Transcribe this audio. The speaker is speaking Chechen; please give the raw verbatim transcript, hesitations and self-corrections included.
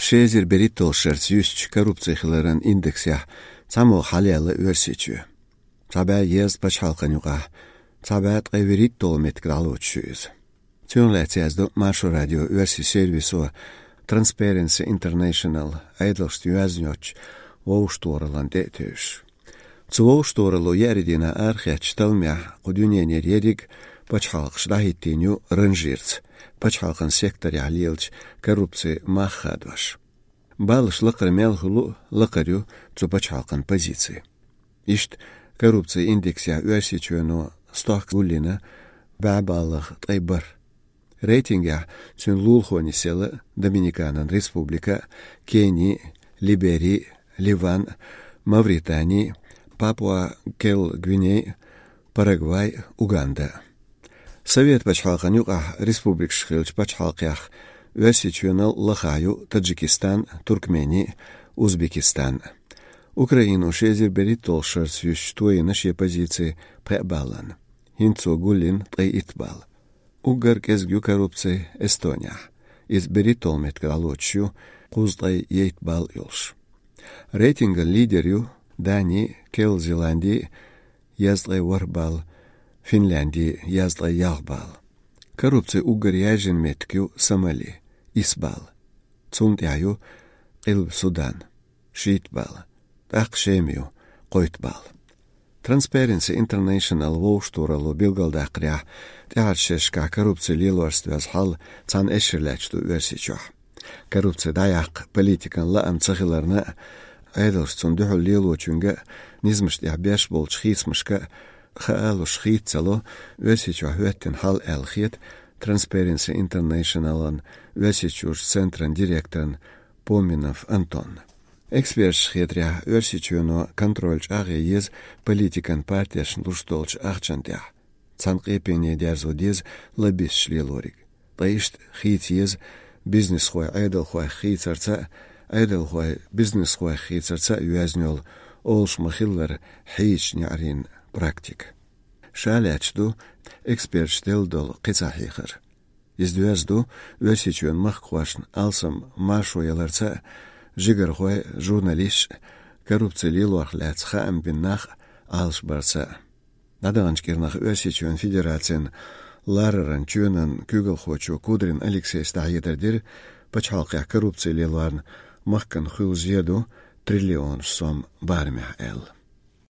Ши эзар берхӀитталгӀачу шарца юьстича коррупци хиларан индексехь цхьамогӀа хьалаяьлла Оьрсийчоь. Цхьа бӀе езткъа пачхьалкхан юкъахь цхьа бӀе ткъе вуьрхӀитталгӀа меттиг дӀалоцуш ю иза. Цунах лаьцна яздо Маршо радион оьрсийн сервисо Transparency International Ӏедалшна йоьзна йоцчу вовшахтохараллина тӀе а тевжаш. Цу вовшахтохаралло еарин дийнахь арахецначу талламехь кху дуьненара ерриг а пачхьалкхаш дӀахӀиттийна ю ранжирца, пачхьалкхан секторехь лелачу коррупцин мах хадош. Баллаш лакхара мел хуьлу а лакхара ю цу пачхьалкхан позици. Иштта коррупцин индексехь Оьрсийчоьно стохка гулйина бӀе баллах ткъе бархӀ. Рейтингехь цуьнан лулахо нисъелла Доминиканан Республика, Кени, Либери, Ливан, Мавритани, Папуа-Кел-Гвиней, Парагвай, Уганда. Совет пачхьалкхан юкъахь республикаш хиллачу пачхьалкхех Оьрсийчоьнал лахахь ю Таджикистан, Туркмени, Узбекистан. Украино ши эзар берхӀитталгӀачу шарца юьстича тойина шен позици пхеа баллана. ХӀинца цо гулйина ткъе итт балл. Уггар кӀезиг ю коррупци Эстонехь. Иза берхӀитталгӀа меттиг дӀалоцуш ю, кхузткъе итт балл йолуш. Рейтинган лидер ю Дани, Кел-Зеланди, езткъе ворхӀ балл, Финлянди, езткъе ялх балл. Коррупци уггар яьржина меттиг ю Сомали, исс балл. Цунна тӀехь ю Къилба Судан, шийтта балл. ТӀаккха Шема ю, кхойтта балл. Transparency International вовшахтохаралло билгалдаккхарехь, тӀаьхьарчу шерашкахь коррупци лелорца доьзна хьал цхьана эшшара лаьтташ ду Оьрсийчохь. Коррупци дӀаяккха политикан лаам ца хиларна а, Ӏедалша цунна дуьхьал лелочуьнга а низамаш тӀехь беш болчу хийцамашка а хаалуш хийца ца ло Оьрсийчохь хӀоьттина хьал аьлла хета Transparency International-ан Оьрсийчуьрчу центран директорна Поминов Антонна. Эксперташна хетарехь, Оьрсийчоьно контроль чӀагӀъян еза политикан партешна луш долчу ахчанна тӀехь. Цхьана къепене дерзо деза лоббисташ лелориг. Ткъа иштта хийца еза бизнесхой Ӏедалхойх хийцарца а, Ӏедалхой бизнесхойх хийцарца а йоьзна йолу, олуш ма-хиллара, хьийзачу неӀарийн практика. Ша лаьтташ ду эксперташа делла долу кхин цхьа хьехар. Иза доьзна ду Оьрсийчоьнан махкахошна алсам маршо яларца а, жигархой а, журналисташ а, коррупци лелорх лаьцна хаам бина нах а Ӏалашбарца а. ДӀадаханчу кӀирнах Оьрсийчоьнан Федерацин лараран чоьнан куьйгалхочо Кудрин Алексейс дӀахьедар дира, пачхьалкхехь коррупци лелорна махкана хуьлу зен ду триллионаш сом барамехь аьлла.